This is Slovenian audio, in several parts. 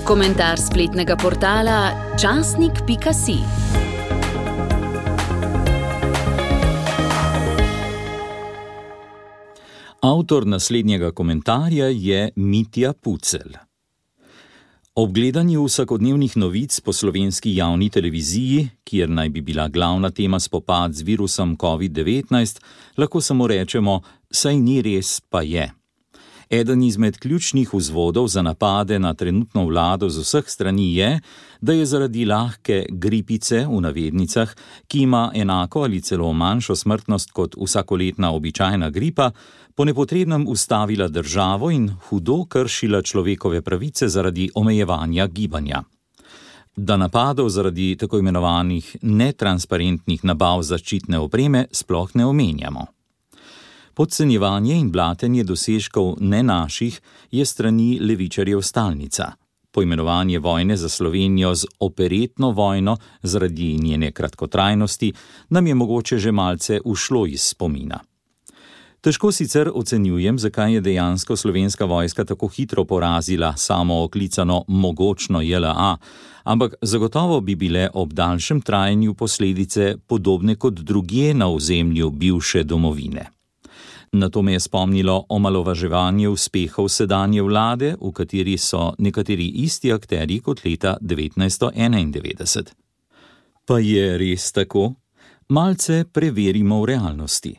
Komentar spletnega portala časnik.si. Avtor naslednjega komentarja je Mitja Pucelj. Ob gledanju vsakodnevnih novic po slovenski javni televiziji, kjer naj bi bila glavna tema spopad z virusom COVID-19, lahko samo rečemo, saj ni res, pa je. Eden izmed ključnih vzvodov za napade na trenutno vlado z vseh strani je, da je zaradi lahke gripice v navednicah, ki ima enako ali celo manjšo smrtnost kot vsakoletna običajna gripa, po nepotrebnem ustavila državo in hudo kršila človekove pravice zaradi omejevanja gibanja. Da napadov zaradi tako imenovanih netransparentnih nabav zaščitne opreme sploh ne omenjamo. Podcenjevanje in blatenje dosežkov ne naših je strani levičarjev stalnica. Poimenovanje vojne za Slovenijo z operetno vojno zaradi njene kratkotrajnosti nam je mogoče že malce ušlo iz spomina. Težko sicer ocenjujem, zakaj je dejansko slovenska vojska tako hitro porazila samo oklicano mogočno JLA, ampak zagotovo bi bile ob daljšem trajanju posledice podobne kot drugje na ozemlju bivše domovine. Na to me je spomnilo omalovaževanje uspehov sedanje vlade, v kateri so nekateri isti akterji kot leta 1991. Pa je res tako? Malce preverimo v realnosti.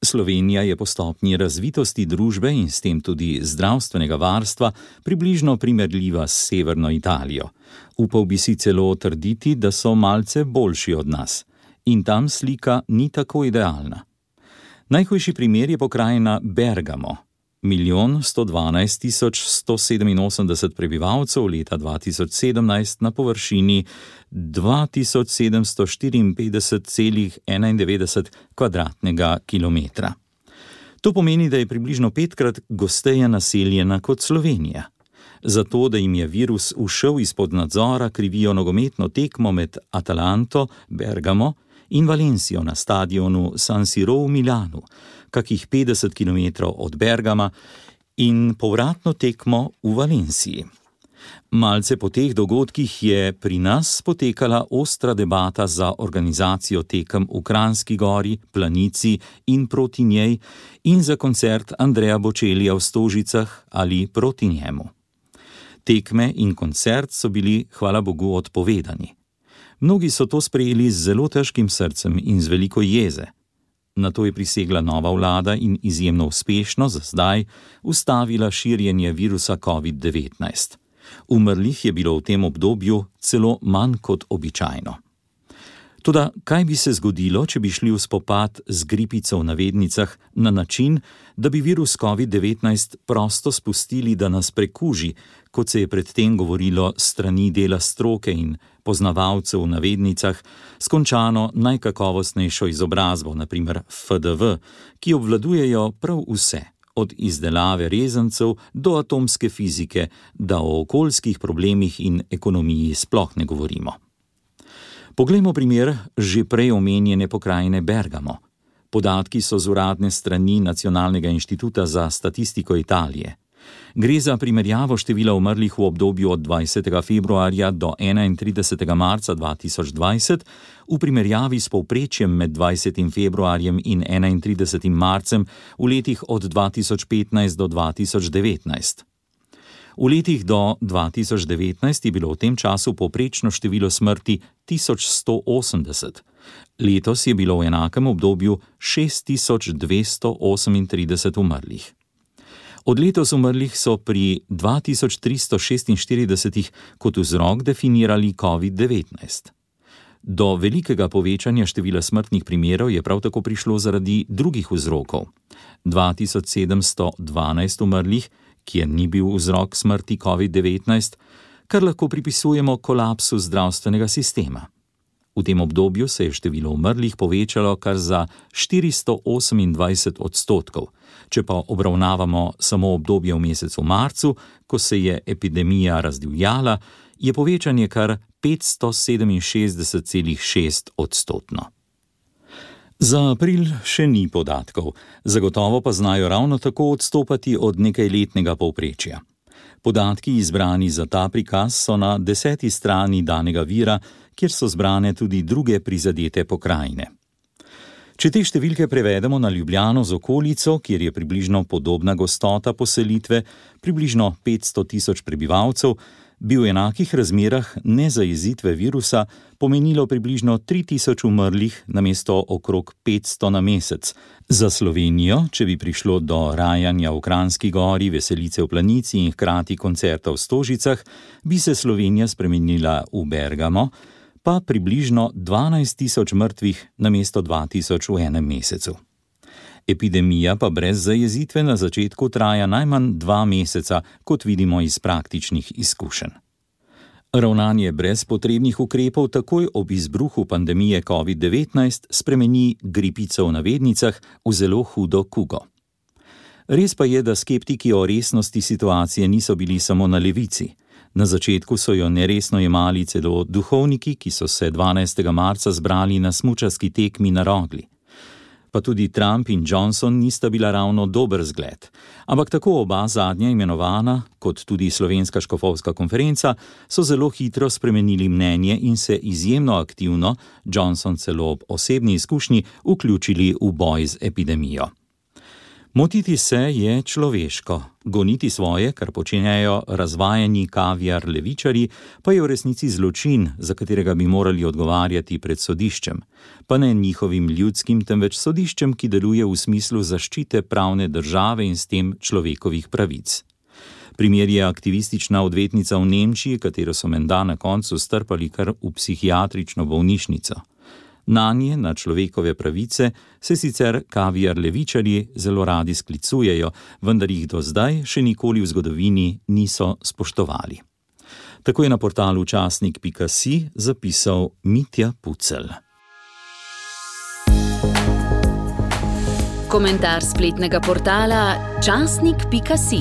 Slovenija je po stopnji razvitosti družbe in s tem tudi zdravstvenega varstva približno primerljiva s severno Italijo. Upal bi si celo trditi, da so malce boljši od nas. In tam slika ni tako idealna. Najhujši primer je pokrajina Bergamo. 1.112.187 prebivalcev leta 2017 na površini 2754,91 kvadratnega kilometra. To pomeni, da je približno 5krat gosteje naseljena kot Slovenija. Zato, da jim je virus ušel izpod nadzora, krivijo nogometno tekmo med Atalanto, Bergamo in Valencijo na stadionu San Siro v Milanu, kakih 50 km od Bergama, in povratno tekmo v Valenciji. Malce po teh dogodkih je pri nas potekala ostra debata za organizacijo tekem v Kranjski Gori, Planici in proti njej in za koncert Andreja Bočelija v Stožicah ali proti njemu. Tekme in koncert so bili, hvala Bogu, odpovedani. Mnogi so to sprejeli z zelo težkim srcem in z veliko jeze. Na to je prisegla nova vlada in izjemno uspešno za zdaj ustavila širjenje virusa COVID-19. Umrlih je bilo v tem obdobju celo manj kot običajno. Toda kaj bi se zgodilo, če bi šli v spopad z gripico v navednicah na način, da bi virus COVID-19 prosto spustili, da nas prekuži, kot se je predtem govorilo strani dela stroke in poznavalcev v navednicah, s končano najkakovostnejšo izobrazbo, naprimer FDV, ki obvladujejo prav vse, od izdelave rezancev do atomske fizike, da o okoljskih problemih in ekonomiji sploh ne govorimo. Poglejmo primer že prej omenjene pokrajine Bergamo. Podatki so z uradne strani Nacionalnega inštituta za statistiko Italije. Gre za primerjavo števila umrlih v obdobju od 20. februarja do 31. marca 2020 v primerjavi s povprečjem med 20. februarjem in 31. marcem v letih od 2015 do 2019. V letih do 2019 je bilo v tem času povprečno število smrti 1180. Letos je bilo v enakem obdobju 6238 umrlih. Od letos umrlih so pri 2346 kot vzrok definirali COVID-19. Do velikega povečanja števila smrtnih primerov je prav tako prišlo zaradi drugih vzrokov. 2712 umrlih, kjer ni bil vzrok smrti COVID-19, kar lahko pripisujemo kolapsu zdravstvenega sistema. V tem obdobju se je število umrlih povečalo kar za 428%, če pa obravnavamo samo obdobje v mesecu marcu, ko se je epidemija razdivjala, je povečanje kar 567,6%. Za april še ni podatkov, zagotovo pa znajo ravno tako odstopati od nekajletnega povprečja. Podatki izbrani za ta prikaz so na 10. strani danega vira, kjer so zbrane tudi druge prizadete pokrajine. Če te številke prevedemo na Ljubljano z okolico, kjer je približno podobna gostota poselitve, približno 500 tisoč prebivalcev, bi v enakih razmerah nezajezitve virusa pomenilo približno 3000 umrlih namesto okrog 500 na mesec. Za Slovenijo, če bi prišlo do rajanja v Kranjski gori, veselice v Planici in hkrati koncerta v Stožicah, bi se Slovenija spremenila v Bergamo, pa približno 12 tisoč mrtvih namesto 2000 v enem mesecu. Epidemija pa brez zajezitve na začetku traja najmanj 2 meseca, kot vidimo iz praktičnih izkušenj. Ravnanje brez potrebnih ukrepov takoj ob izbruhu pandemije COVID-19 spremeni gripico v navednicah v zelo hudo kugo. Res pa je, da skeptiki o resnosti situacije niso bili samo na levici. Na začetku so jo neresno jemali celo duhovniki, ki so se 12. marca zbrali na smučarski tekmi na Rogli. Pa tudi Trump in Johnson nista bila ravno dober zgled. Ampak tako oba zadnja imenovana, kot tudi Slovenska škofovska konferenca, so zelo hitro spremenili mnenje in se izjemno aktivno, Johnson celo ob osebni izkušnji, vključili v boj z epidemijo. Motiti se je človeško, goniti svoje, kar počenjajo razvajeni kaviar levičarji, pa je v resnici zločin, za katerega bi morali odgovarjati pred sodiščem. Pa ne njihovim ljudskim, temveč sodiščem, ki deluje v smislu zaščite pravne države in s tem človekovih pravic. Primer je aktivistična odvetnica v Nemčiji, katero so menda na koncu strpali kar v psihiatrično bolnišnico. Nanje, na človekove pravice, se sicer kaviar levičarji zelo radi sklicujejo, vendar jih do zdaj še nikoli v zgodovini niso spoštovali. Tako je na portalu časnik.si zapisal Mitja Pucelj. Komentar spletnega portala časnik.si.